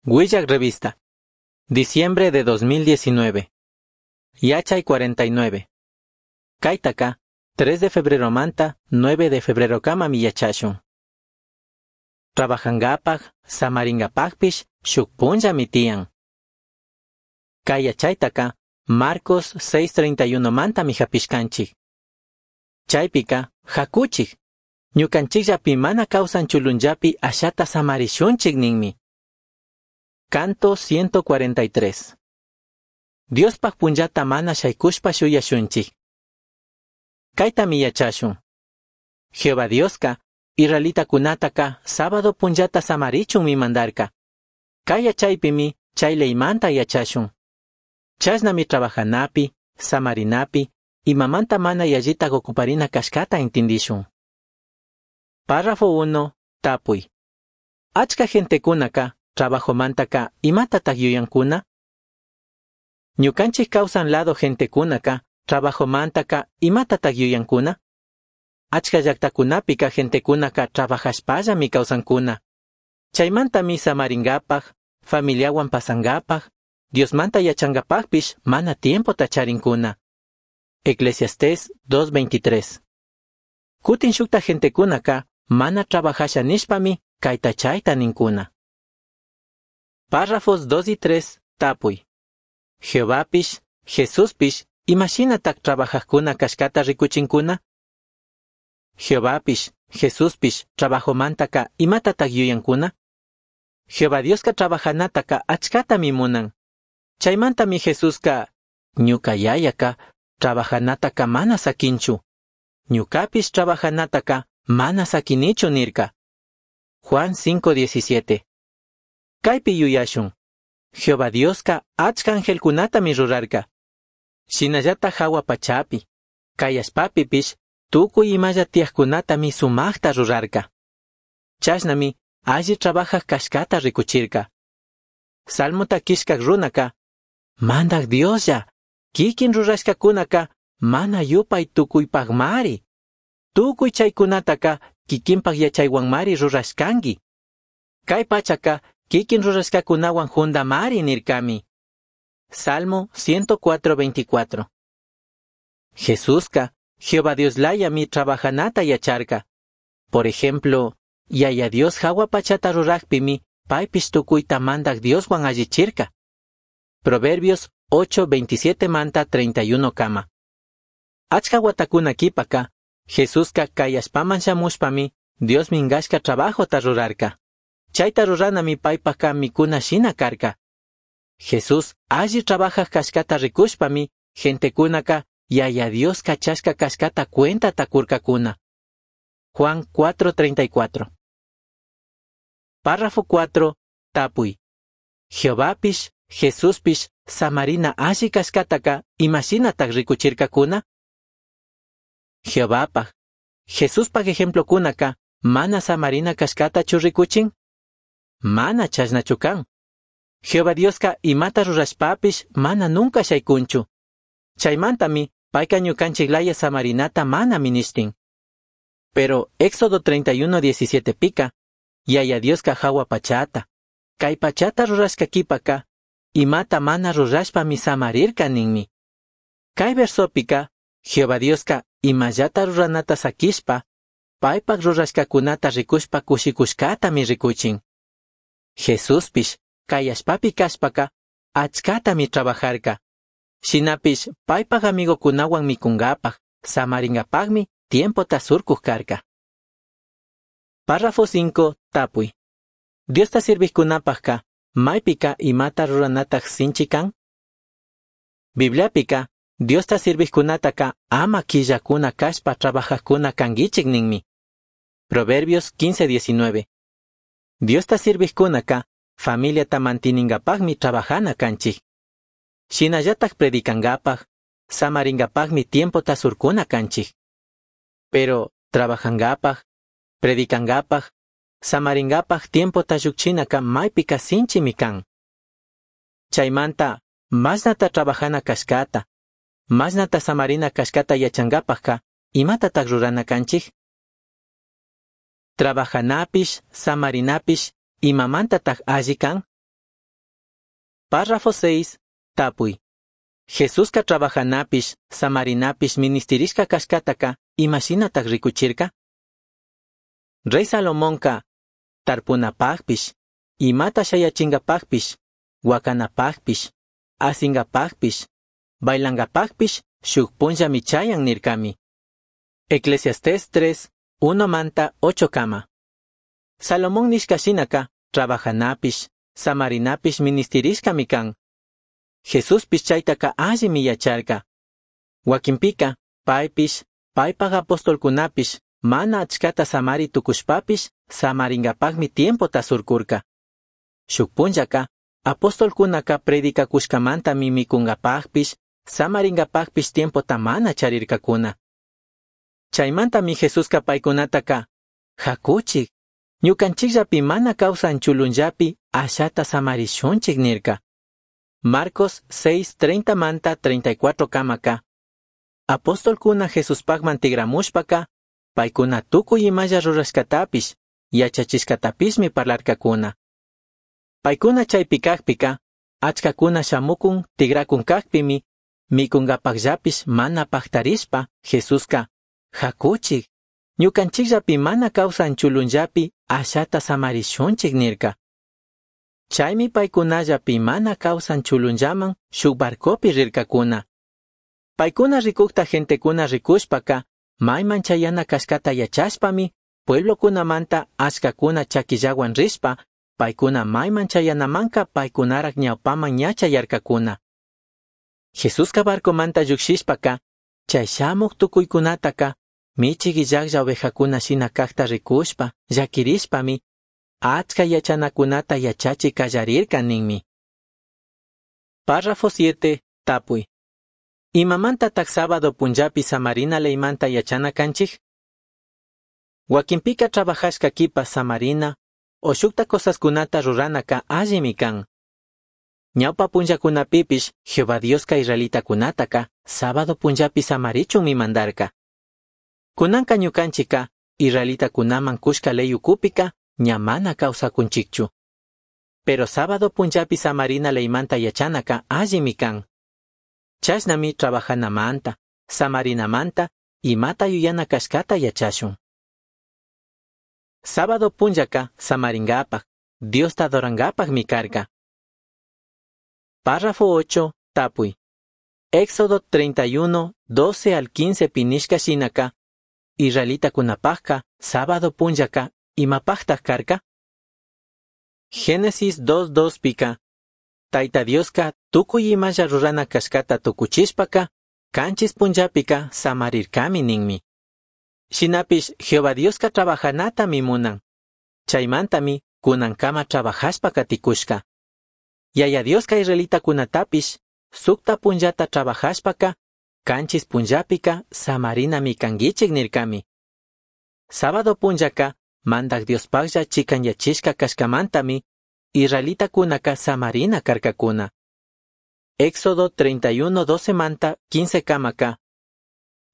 Huillac Revista. Diciembre de 2019. Yachay 49. Kaitaka, 3 de febrero manta, 9 de febrero kama miyachashun. Trabajangapaj, samaringapajpish, shuk punllami tiyan. Kay yachaytaka, Marcos 6.31 mantami hapishkanchik. Chaypika, hakuchik. Ñukanchikllapi mana kawsan chulunllapi ashata samarishunchik ninmi. Canto 143. Diospaj punllata mana shaykushpa shuyashunchik. Kaytami yachashun. Jehová Dioska, israelitakunataka sábado punllata samarichunmi mandarka. Kay yachaypimi chay leymanta yachashun. Chashnami trabajanapi, samarinapi, imamanta mana yallitak ocuparina kashkata intindishun. Párrafo 1. Tapuy. Achka gentekunaka, trabajomantaka, imatatak yuyankuna? Ñukanchik kawsan lado gentekunaka, trabajomantaka, imatatak yuyankuna? Achka llaktakunapika gentekunaka trabajashpallami kawsankuna. Chaymantami samaringapaj, familiawan pasangapaj, Diosmanta yachangapajpish mana tiempota charinkuna. Eclesiastés 2.23. Kutin shukta gentekunaka mana trabajasha nishpami kayta chayta ninkuna. Párrafos 2 y 3, tapuy. Jehovapish, Jesuspish, imashinatak trabajajkuna kashkata rikuchinkuna? Jehovapish, Jesuspish, trabajomantaka imatatak yuyankuna? Jehová Dioska trabajanataka achkatami munan. Chaymantami Jesuska, ñuka yayaka, trabajanataka mana sakinchu. Ñukapish trabajanataka mana sakinichu nirka. Juan 5.17. Kaypi yuyashun. Jehová Dioska achka angelkunatami rurarka. Shinallata hawa pachapi, kay allpapipish tukuy imalla tiyajkunatami sumajta rurarka. Chashnami alli trabajaj kashkata rikuchirka. Salmota kishkak runaka, Mandak Dioslla, kikin rurashkakunaka mana yupay tukuypajmari. Tukuy chaykunataka kikinpaj yachaywanmari rurashkanki. Kay pachaka kikin rurashkakunawan jundamari nirkami. Salmo 104.24. Jesuska, Jehová Dios layami trabajanata yacharka. Por ejemplo, Yaya Dios hawa pachata rurajpimi paypish tukuyta mandak Dioswan allichirka. Proverbios 8:27 manta 31 kama. Achka watakuna kipaka, Jesuska kay allpaman shamushpami Dios mingashka trabajota rurarka. Chayta ruranami paypaka mikuna shina karka. Jesús alli trabajaj kashkata rikushpami gentekunaka Yaya Dios kachashka kashkata cuentata kurkakuna. Juan 4:34. Párrafo 4. Tapuy. Jehovapish, Jesuspish, samarina alli kashkataka imashinatak rikuchirkakuna? Jehovapaj, Jesuspaj ejemplokunaka mana samarina kashkatachu rikuchin? Mana chashnachu kan. Jehová Dioska imata rurashpapish mana nunca shaykunchu. Chaymantami payka ñukanchik laya samarinata mana minishtin. Pero Éxodo 31:17 pika, Yaya Dioska hawa pachata, kay pachata rurashka kipaka, imata mana rurashpami samarirka ninmi. Kay versopika, Jehová Dioska imallata ruranata sakishpa, paypak rurashkakunata rikushpa kushikushkatami rikuchin. Jesuspish, kay allpapi kashpaka, achkatami trabajarka. Shinapish paypak amigokunawan mikungapaj, samaringapajmi tiempota surkuj karka. Párrafo 5. Tapuy. Diosta sirvijkunapajka, maypika imata ruranataj sinchi kan? Bibliapika, Diosta sirvijkunataka ama killakuna kashpa trabajajkuna kankichik ninmi. Proverbios 15:19. Diosta sirvijkunaka, familiata mantiningapajmi trabajana kanchik. Shinallatak predicangapaj, samaringapajmi tiempota surkuna kanchik. Pero trabajangapaj, predicangapaj, samaringapaj tiempota llukchinaka maypika sinchimi kan. Chaymanta, mashnata trabajana kashkata, mashnata samarina kashkata yachangapajka, imatatak rurana kanchik? Trabajanapish, samarinapish, imamantatak alli kan? Párrafo 6. Tapui. Jesusca trabajanapish, samarinapish ministirishca cashcataca imashinataj ricuchirca? Rey Salomonca tarpunapajpish, imata shayachingapajpish, huacanapajpish, asingapajpish, bailangapajpish shuj punllami chayan nircami. Eclesiastés 3, 1 manta 8 kama. Salomón nishka shinaka trabajanapish, samarinapish ministirishkami kan. Jesuspish chaytaka allimi yacharka. Wakinpika, paypish, paypaj apostolkunapish, mana achkata samari tukushpapish, samaringapajmi tiempota surkurka. Shuk punllaka, apostolkunaka predicakushkamantami mikungapajpish, samaringapajpish tiempota mana charirkakuna. Chaymantami Jesuska paykunataka, hakuchik, ñukanchikllapi mana kawsan chulunllapi ashata samarishunchik nirka. Marcos 6:30 manta 34 kamaka. Apostolkuna Jesuspajman tigramushpaka, paykuna tukuy imalla rurashkatapish, yachachishkatapishmi parlarkakuna. Paykuna chaypi kajpika, achkakuna shamukun tigrakun kajpimi, mikungapajllapish mana pajtarishpa, Jesuska, hakuchik, ñukanchikllapi mana kawsan chulunllapi ashata samarishunchik nirka. Chaymi paykunallapi mana kawsan chulunllaman shuk barcopi rirkakuna. Paykuna rikukta gentekuna rikushpaka, mayman chayana kashkata yachashpami, pueblokunamanta achkakuna chakillawan rishpa, paykuna mayman chayanamanka paykunarak ñawpaman ña chayarkakuna. Jesuska barcomanta llukshishpaka, chay shamuk tukuykunataka, michik illaklla ovejakuna shina kajta rikushpa, llakirishpami, achka yachanakunata yachachi kallarirka ninmi. Párrafo 7. Tapuy. Imamantataq sábado punllapi samarina leymanta yachana kanchik? Wakinpika trabajashka kipa samarina o shukta cosaskunata ruranaka allimi kan. Ñawpa punllakunapipish Jehová Dioska israelitakunataka sábado punllapi samarichunmi mandarka. Kunanka ñukanchika israelitakunaman kushka ley ukupika ña mana kawsakunchikchu. Pero sábado punllapi samarina leymanta yachanaka allimi kan. Chashnami trabajanamanta, samarinamanta, imata yuyana kashkata yachashun. Sábado punllaka samaringapaj, Diosta adorangapajmi karka. Párrafo 8, tapuy. Éxodo 31, 12 al 15 pinishka shinaka, israelitakunapajka, sábado punllaka, imapajtaj karka? Génesis 2:2 pika, Taita Dioska tukuy imalla rurana kashkata tukuchishpaka, kanchis punllapika samarirkami ninmi. Shinapish Jehová Dioska trabajanatami munan. Chaymantami kunankama trabajashpa katikushka. Yaya Dioska israelitakunatapish sukta punllata trabajashpaka, kanchis punllapika samarinami kankichik nirkami. Sábado punllaka Mandaj Diospajlla chikanyachishka kashkamantami israelitakunaka samarina karkakuna. Éxodo 31:12 manta 15 kamaka.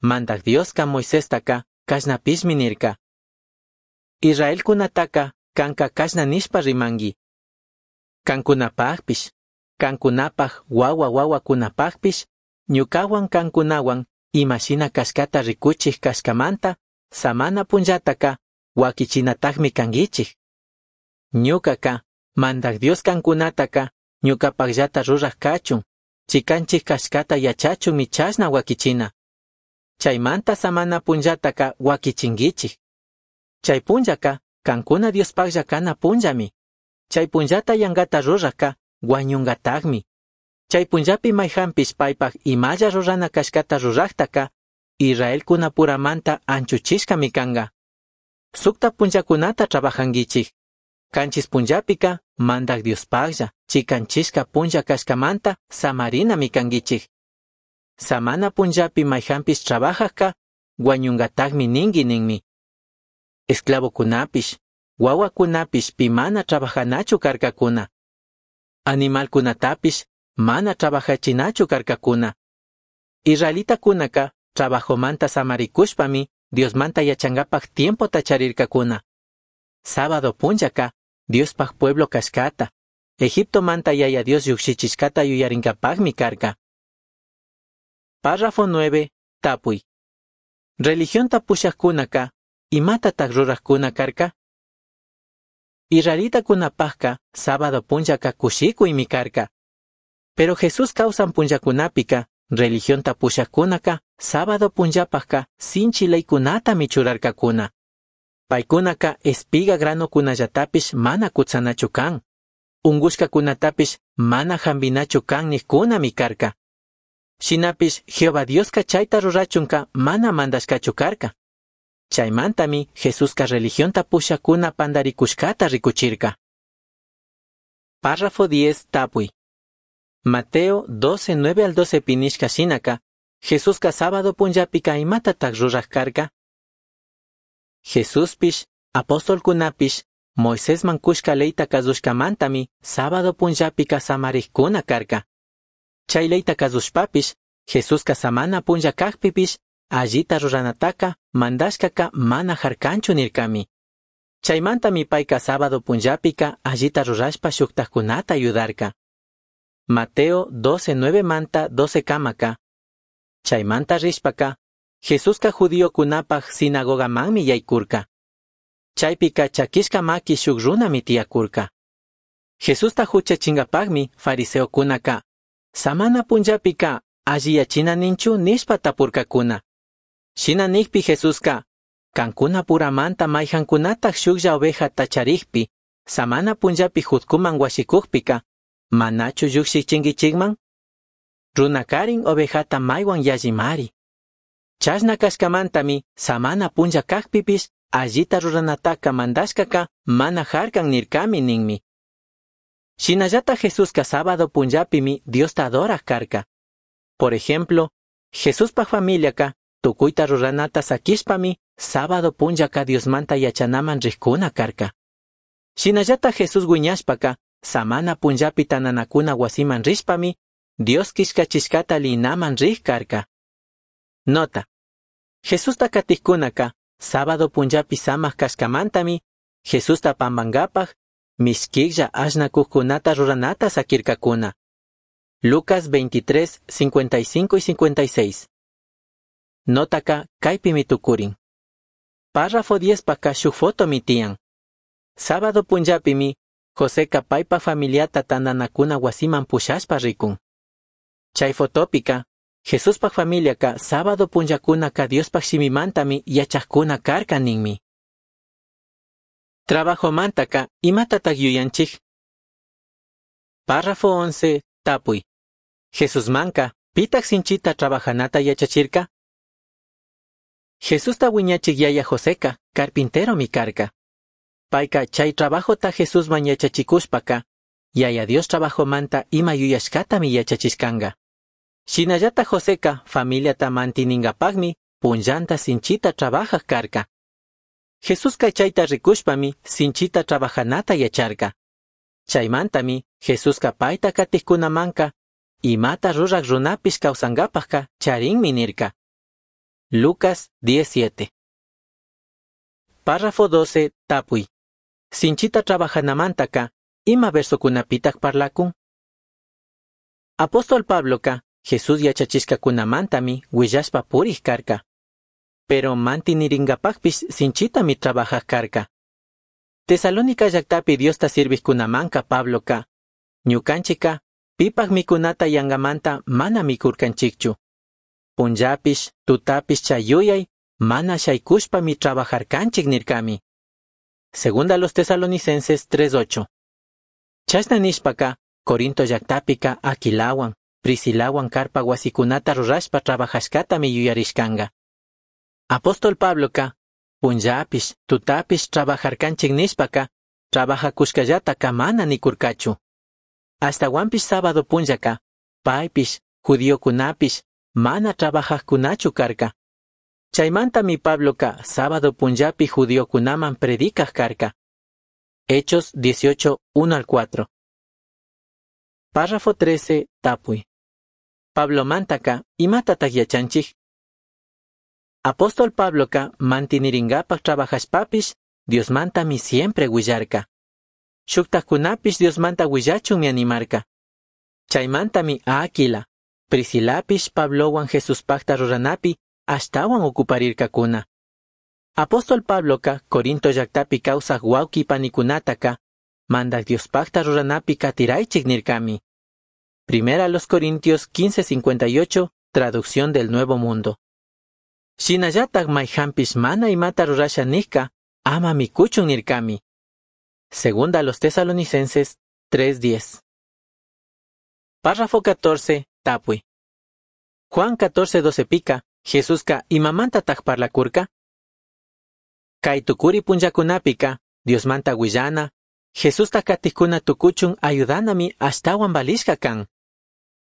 Mandaj Dioska Moisestaka kashnapishmi nirka. Israelkunataka kanka kashna nishpa rimanki. Kankunapajpish, kankunapaj wawa wawakunapajpish, ñukawan kankunawan imashina kashkata rikuchik kashkamanta, samana punllataka wakichinatajmi kankichik. Ñukaka, Mandaj Dios kankunataka, ñukapajllata ruraj kachun, chikanchik kashkata yachachunmi chashna wakichina. Chaymanta samana punllataka wakichinkichik. Chay punllaka, kankuna Diospajlla kana punllami. Chay punllata yankata rurajka, wañunkatakmi. Chay punllapi mayjanpish paypaj imalla rurana kashkata rurajtaka, Israelkunapuramanta anchuchishkami kanka. Sukta punllakunata trabajankichik. Kanchis punllapika, Mandaj Diospajlla, chikanchishka punlla kashkamanta samarinami kankichik. Samana punllapi mayjanpish trabajajka, wañunkatakmi ninki ninmi. Esclavokunapish, wawakunapish pi mana trabajanachu karkakuna. Animalkunatapish mana trabajachinachu karkakuna. Israelitakunaka trabajomanta samarikushpami Diosmanta yachangapaj tiempota charirkakuna. Sábado punllaka Diospaj pueblo kashkata, Egiptomanta Yaya Dios llujshichishcata yuyaringapajmi carca. Párrafo 9. Tapui. Religionta pushajcunaca, imatataj rurajcuna carca? Israelitacunapajca sábado punllaca cushicuymi carca. Pero Jesús causan punllacunapica, religionta pushajcunaca, sábado punllapajca sinchi leycunatami churarcacuna. Paicunaca espiga granocunallatapish mana cutsanachu can. Ungushcacunatapish mana jambinachu can nijcunami carca. Shinapish Jehová Diosca chaita rurachunca mana mandashcachu carca. Chaimantami Jesusca religionta pushajcuna pandaricushcata ricuchirca. Párrafo 10. Tapui. Mateo 12, 9 al 12 pinishca shinaka, Jesusca sábado punllapica imatataj ruraj carca? Jesuspish, apostolcunapish, Moisesman cushca leyta cazushcamantami sábado punllapica samarijcuna carca. Chay leyta cazushpapish, Jesusca samana punlla cajpipish, allita ruranataca, mandashcaca mana jarcanchu nircami. Chaimantami paica sábado punllapica allita rurashpa shujtajcunata ayudarca. Mateo 12, 9 manta 12 kamaka. Chaimanta rishpaca, Jesusca judíocunapaj sinagogamanmi yaycurca. Chaypica chaquishca maqui shuk runami tiyacurca. Jesusta juchachingapajmi fariseocunaca, samana punllapica alliyachina ninchu nishpa tapurcacuna. Shina nijpi Jesusca, cancuna puramanta maijancunataj shuklla ovejata charijpi, samana punllapi jutcuman huashicujpica, manachu llujshichinguichikman? Runakarin ovejata maywan yallimari. Chashna kashkamantami samana punlla kajpipish allita ruranataka mandashkaka mana jarkan nirkami ninmi. Shinallata Jesusca sábado punllapimi Diosta adoraj karka. Por ejemplo, Jesuspa familiaka tukuyta ruranata sakishpami sábado punllaka Diosmanta yachanaman rijkuna karka. Shinallata Jesús wiñashpaka samana punllapi tananakuna wasiman rishpami Dios kishkachishkata linaman rij karka. Nota. Jesusta katijkunaka sábado punllapi samaj kashkamantami Jesusta pambankapaj mishkijlla ashnakujkunata ruranata sakirkakuna. Lucas 23, 55 y 56. Notaka kaypimi tukurin. Párrafo 10 paka shuk fotomi tiyan. Sábado punllapimi Joseca paypa familiata tandanakuna wasiman pushashpa rikun. Chay fotopika, Jesuspa familiaka sábado punllakunaka Diospaj shimimantami yachajkuna karka ninmi. Trabajomantaka imatataj yuyanchik? Párrafo 11. Tapuy. Jesusmanka, pitaj sinchita trabajanata yachachirka? Jesusta wiñachik yaya Joseca, carpinteromi karka. Payka chay trabajota Jesusman yachachikushpaka, Yaya Dios trabajomanta ima yuyashkatami yachachishkanga. Shinallata Joseca familiata mantiningapajmi punllanta sinchita trabajaj karka. Jesuska chayta rikushpami sinchita trabajanata yacharka. Chaymantami Jesuska payta katijkunamanka imata ruraj runapish kawsankapajka charinmi nirka. Lucas 17. Párrafo 12. Tapuy. Sinchita trabajanamantaka ima versokunapitaj parlakun? Apóstol Pabloka Jesús yachachishkakunamantami willashpa purij karka. Pero mantiniringapajpish sinchitami trabajaj karka. Tesalónica llaktapi Diosta sirvijkunamanka Pabloka, ñukanchika pipaj mikunata yangamanta mana mikurkanchikchu. Punllapish, tutapish chayuyay, mana shaykushpami trabajarkanchik nirkami. Segunda los Tesalonicenses 3:8. Chashna nishpaka, Corinto llaktapika Aquilawan, Priscilawan karpa wasikunata rurashpa trabajashkatami yuyarishkanga. Apóstol Pabloka, punllapish, tutapish trabajarkanchik nishpaka, trabajakushkallataka mana nikurkachu. Ashtawanpish sábado punllaka, paypish, judiokunapish, mana trabajajkunachu karka. Chaymantami Pabloka sábado punllapi judiokunaman predicaj karka. Hechos 18, 1 al 4. Párrafo 13, tapuy. Pablomantaka, imatataj yachanchik? Apóstol Pabloka mantiniringapaj trabajashpapish, Diosmantami siempre willarka. shujtajcunapish Diosmanta huillachunmi animarca. Chaimantami Áquila, Priscilapish Pablohuan Jesuspajta ruranapi ashtahuan ocuparircacuna. Apóstol Pabloca Corinto llactapi causaj huauqui panicunataca Mandaj Diospajta ruranapi catiraichij nircami. Primera los Corintios 15:58, traducción del Nuevo Mundo. Shinallataj maijanpish mana imata rurasha nijca, ama micuchun nircami. Segunda a los Tesalonicenses 3:10. Párrafo 14, tapui. Juan 14:12 pica, Jesusca imamantataj parlacurca? Cai tucuri punllacunapika, Diosmanta huillana, Jesusta catijcuna tucuchun ayudanami ashtahuan valishca can.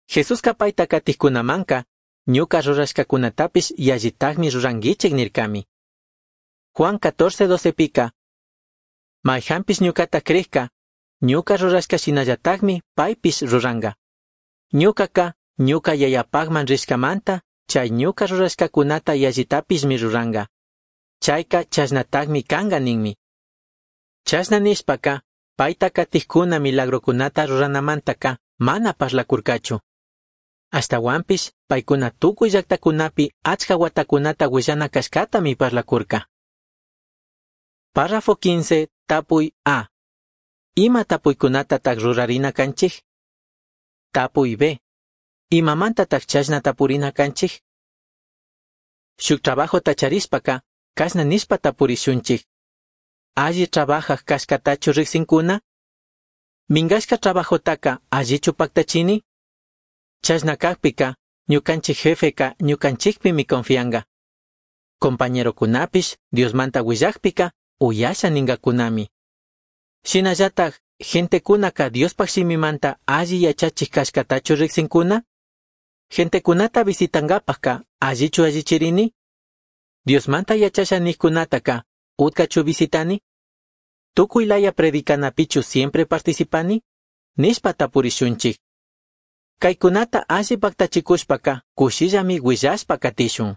Jesusca paita catijcunamanca, ñuca rurashcacunatapish yallitajmi ruranguichij nircami. Juan 14:12 pica, Maijanpish ñucata crijca, ñuca rurashca shinallatajmi paipish ruranga. Ñucaca, ñuca yayapajman rishcamanta, chay ñuca rurashcacunata yallitapishmi ruranga. Chaica chashnatajmi canga ninmi. Chashna nishpaca, paita catijcuna milagrocunata ruranamantaka mana parlacurcachu. Ashtahuanpish paicuna tucui llactacunapi achca huatacunata huillana cashcatami parlacurca. Párrafo 15, tapui A. Ima tapuicunatataj rurarina canchij? Tapui B. Imamantataj chashna tapurina canchij? Shuk trabajota charishpaca, cashna nishpa tapurishunchij. Alli trabajaj cashcatachu rijsincuna? Mingashca trabajotaka allichu pactachini? Chashna cajpica, ñucanchij jefeca ñucanchijpimi confianga. Compañerocunapish Diosmanta huillajpica uyasha ningacunami. Shinallataj, gentecunaka Diospaj shimimanta alli yachachij cashcatachu rijsincuna? Gentecunata visitangapajka allichu allichirini? Diosmanta yachasha nijcunataka utcachu visitani? Tucui laya predicanapichu siempre participani? Nishpa tapurishunchij. Caicunata alli pactachikushpaka kushillami huillashpa katishun.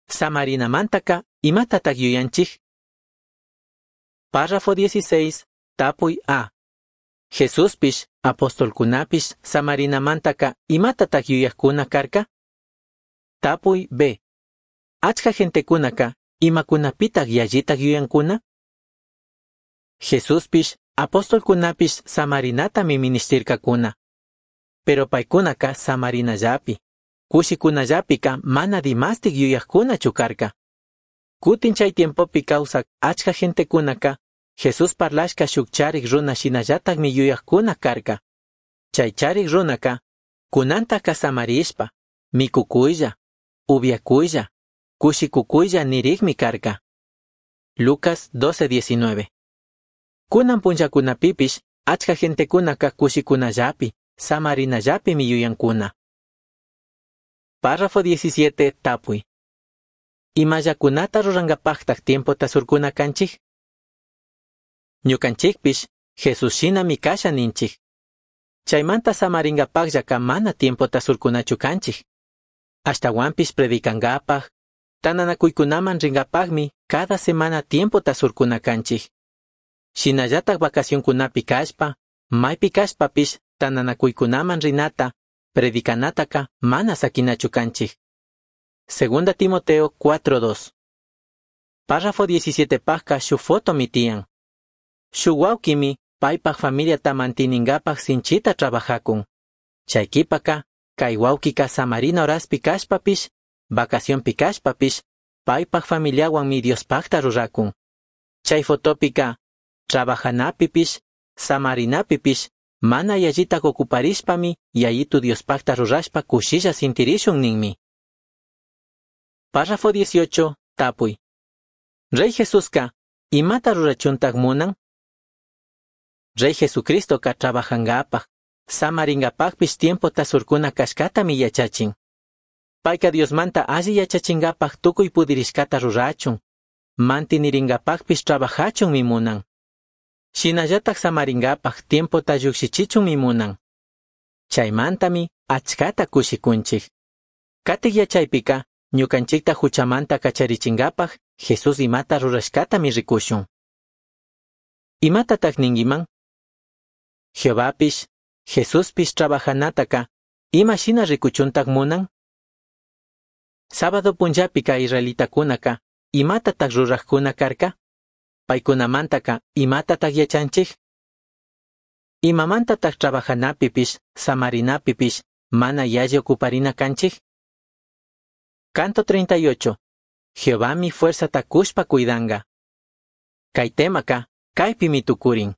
Samarinamantaka imatataj yuyanchij? Párrafo 16, tapui A. Jesuspish, apostolcunapish, samarinamantaka imatataj yuyajcuna carca? Tapui B. Achka gentecunaka imakunapitaj yallitaj yuyancuna? Jesuspish, apostolcunapish samarinatami ministircacuna. Pero paicunaka samarinallapi, cushicunallapika mana dimastik yuyajcunachu carca. Cutin chay tiempopi kawsak achka gentecunaka Jesús parlashka shuk charik runa shinallatakmi yuyajcuna karka. Chay charik runaka kunantaka samarishpa, mikukuylla, upiakuylla, kushikukuylla nirikmi karka. Lucas 12:19. Kunan punllakunapipish achka gentecunaka kushikunallapi, samarinallapimi yuyankuna. Párrafo 17, tapui. Imallakunata rurangapajtaj tiempota surkuna kanchij? Ñukanchikpish Jesús shinami kasha ninchij. Chaymanta samaringapajllaka mana tiempota surkunachu kanchij. Ashtahuanpish predicangapaj, tananakuykunaman ringapajmi cada semana tiempota surkuna kanchij. Shinallataj vacacionkunapi kashpa, maypi kashpapish tananakuykunaman rinata, predicanataka mana sakinachu kanchij. Segunda Timoteo 4:2. Párrafo 17 pajka shuk fotomi tiyan. Shuk wawkimi paypaj familiata mantiningapaj sinchita trabajakun. Chay kipaka, kay wawkika samarina horaspi kashpapish, vacacionpi kashpapish, paypaj familiawanmi Diospajta rurakun. Chay fotopika, trabajanapipish, samarinapipish, mana yallitaj ocuparishpami yayitu Diospajta rurashpa kushilla sintirishun ninmi. Párrafo 18, tapui. Rey Jesuska, imata rurachuntaj munan? Rey Jesucristoka trabajangapaj, samaringapajpish tiempota surkuna kashkatami yachachin. Payka Diosmanta alli yachachingapaj tukuy pudirishkata rurachun, mantiniringapajpish trabajachunmi munan. Shinallataj samaringapaj tiempota llukshichichunmi munan. Chaymantami achkata kushikunchik. Katik yachaypika, ñukanchikta huchamanta kacharichingapaj Jesús imata rurashkatami rikushun. Imatataj ninguiman? Jehovapish, Jesuspish trabajanataca ima shina ricuchuntaj munan? Sábado punllapica israelitacunaca imatataj rurajcuna carca? Paicunamantaca imatataj yachanchij? Imamantataj trabajanapipish, samarinapipish mana yalli ocuparina canchij? Canto 38. Jehovami fuerzata cushpa cuidanga. Cai temaca, caipimi tucurin.